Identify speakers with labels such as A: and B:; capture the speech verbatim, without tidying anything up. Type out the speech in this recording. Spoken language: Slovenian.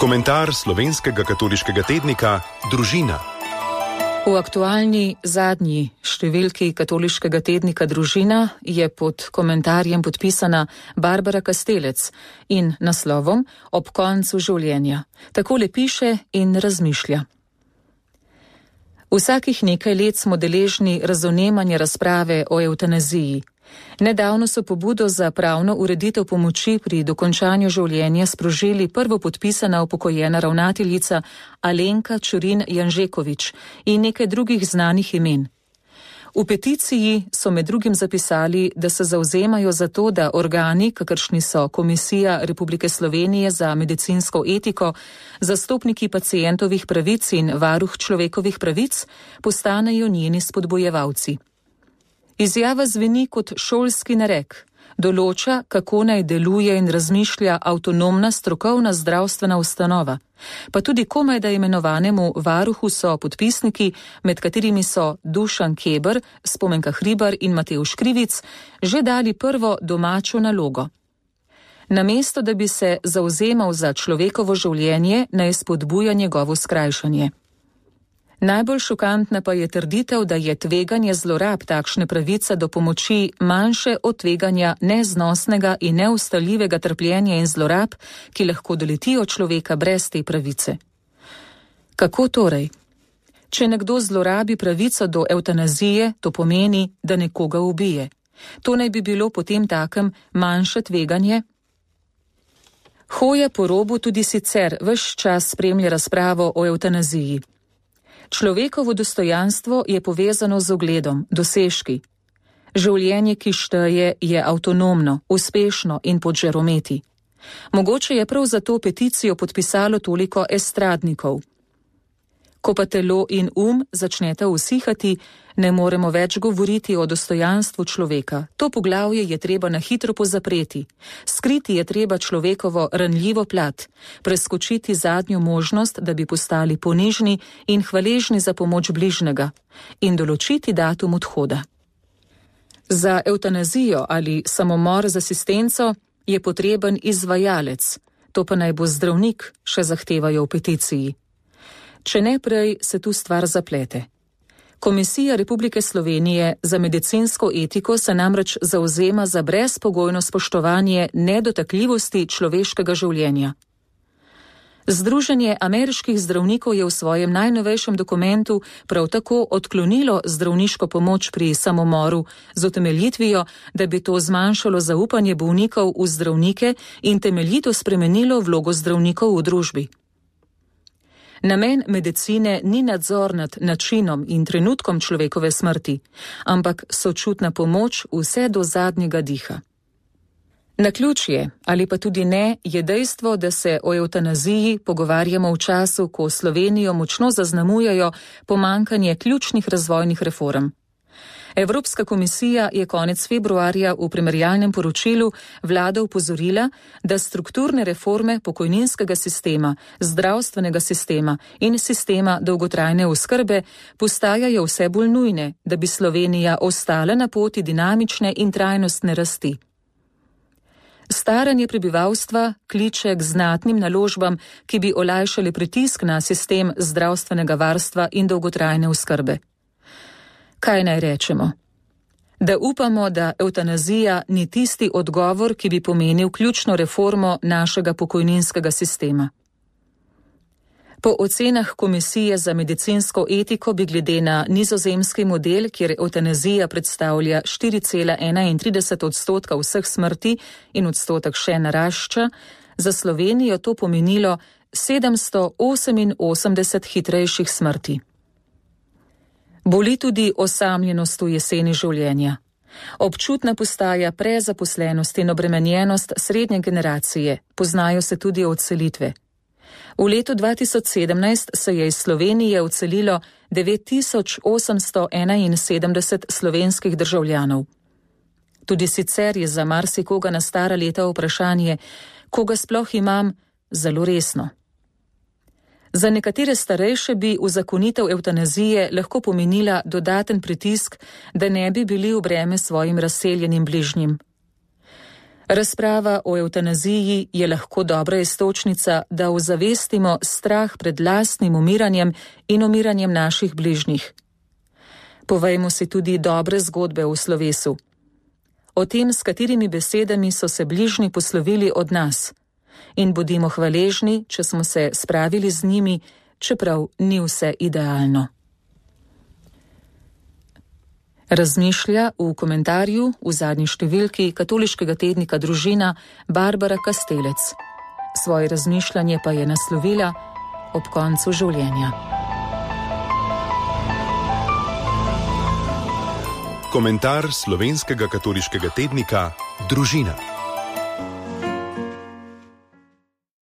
A: Komentar slovenskega katoliškega tednika Družina.
B: V aktualni zadnji številki katoliškega tednika Družina je pod komentarjem podpisana Barbara Kastelec in naslovom Ob koncu življenja. Takole piše in razmišlja. Vsakih nekaj let smo deležni razvnemanja razprave o evtanaziji. Nedavno so pobudo za pravno ureditev pomoči pri dokončanju življenja sprožili prvo podpisana upokojena ravnateljica Alenka Čurin Janžekovič in nekaj drugih znanih imen. V peticiji so med drugim zapisali, da se zavzemajo za to, da organi, kakršni so Komisija Republike Slovenije za medicinsko etiko, zastopniki pacientovih pravic in varuh človekovih pravic, postanejo njeni spodbojevalci. Izjava zveni kot šolski narek, določa, kako naj deluje in razmišlja avtonomna strokovna zdravstvena ustanova, pa tudi komajda imenovanemu varuhu so podpisniki, med katerimi so Dušan Keber, Spomenka Hribar in Matevž Krivic, že dali prvo domačo nalogo. Namesto, da bi se zavzemal za človekovo življenje, naj spodbuja njegovo skrajšanje. Najbolj šokantna pa je trditev, da je tveganje zlorab takšne pravice do pomoči manjše od tveganja neznosnega in neustaljivega trpljenja in zlorab, ki lahko doletijo človeka brez te pravice. Kako torej? Če nekdo zlorabi pravico do evtanazije, to pomeni, da nekoga ubije. To naj bi bilo potem takem manjše tveganje? Hoja po robu tudi sicer ves čas spremlja razpravo o evtanaziji. Človekovo dostojanstvo je povezano z ugledom, dosežki. Življenje, ki šteje, je avtonomno, uspešno in pod žarometi. Mogoče je prav zato peticijo podpisalo toliko estradnikov. Ko pa telo in um začneta usihati, ne moremo več govoriti o dostojanstvu človeka. To poglavje je treba na hitro pozapreti. Skriti je treba človekovo ranljivo plat, preskočiti zadnjo možnost, da bi postali ponižni in hvaležni za pomoč bližnjega in določiti datum odhoda. Za evtanazijo ali samomor z asistenco je potreben izvajalec, to pa naj bo zdravnik, še zahtevajo v peticiji. Če ne prej, se tu stvar zaplete. Komisija Republike Slovenije za medicinsko etiko se namreč zavzema za brezpogojno spoštovanje nedotakljivosti človeškega življenja. Združenje ameriških zdravnikov je v svojem najnovejšem dokumentu prav tako odklonilo zdravniško pomoč pri samomoru z utemeljitvijo, da bi to zmanjšalo zaupanje bolnikov v zdravnike in temeljito spremenilo vlogo zdravnikov v družbi. Namen medicine ni nadzor nad načinom in trenutkom človekove smrti, ampak sočutna pomoč vse do zadnjega diha. Naključje, ali pa tudi ne, je dejstvo, da se o evtanaziji pogovarjamo v času, ko Slovenijo močno zaznamujejo pomanjkanje ključnih razvojnih reform. Evropska komisija je konec februarja v primerjalnem poročilu vlado opozorila, da strukturne reforme pokojninskega sistema, zdravstvenega sistema in sistema dolgotrajne oskrbe postajajo vse bolj nujne, da bi Slovenija ostala na poti dinamične in trajnostne rasti. Staranje prebivalstva kliče k znatnim naložbam, ki bi olajšali pritisk na sistem zdravstvenega varstva in dolgotrajne oskrbe. Kaj naj rečemo? Da upamo, da evtanazija ni tisti odgovor, ki bi pomenil ključno reformo našega pokojninskega sistema. Po ocenah Komisije za medicinsko etiko bi glede na nizozemski model, kjer evtanazija predstavlja štiri cela enaintrideset odstotka vseh smrti in odstotek še narašča, za Slovenijo to pomenilo sedemsto oseminosemdeset hitrejših smrti. Boli tudi osamljenost v jeseni življenja. Občutna postaja prezaposlenost in obremenjenost srednje generacije, poznajo se tudi odselitve. V letu dva tisoč sedemnajst se je iz Slovenije odselilo devet tisoč osemsto enainsedemdeset slovenskih državljanov. Tudi sicer je za marsikoga na stara leta vprašanje, koga sploh imam, zelo resno. Za nekatere starejše bi uzakonitev evtanazije lahko pomenila dodaten pritisk, da ne bi bili v breme svojim razseljenim bližnjim. Razprava o evtanaziji je lahko dobra iztočnica, da ozavestimo strah pred lastnim umiranjem in umiranjem naših bližnjih. Povejmo si tudi dobre zgodbe v slovesu. O tem, s katerimi besedami so se bližnji poslovili od nas. In bodimo hvaležni, če smo se spravili z njimi, čeprav ni vse idealno. Razmišlja v komentarju v zadnji številki katoliškega tednika Družina Barbara Kastelec. Svoje razmišljanje pa je naslovila ob koncu življenja.
A: Komentar slovenskega katoliškega tednika Družina.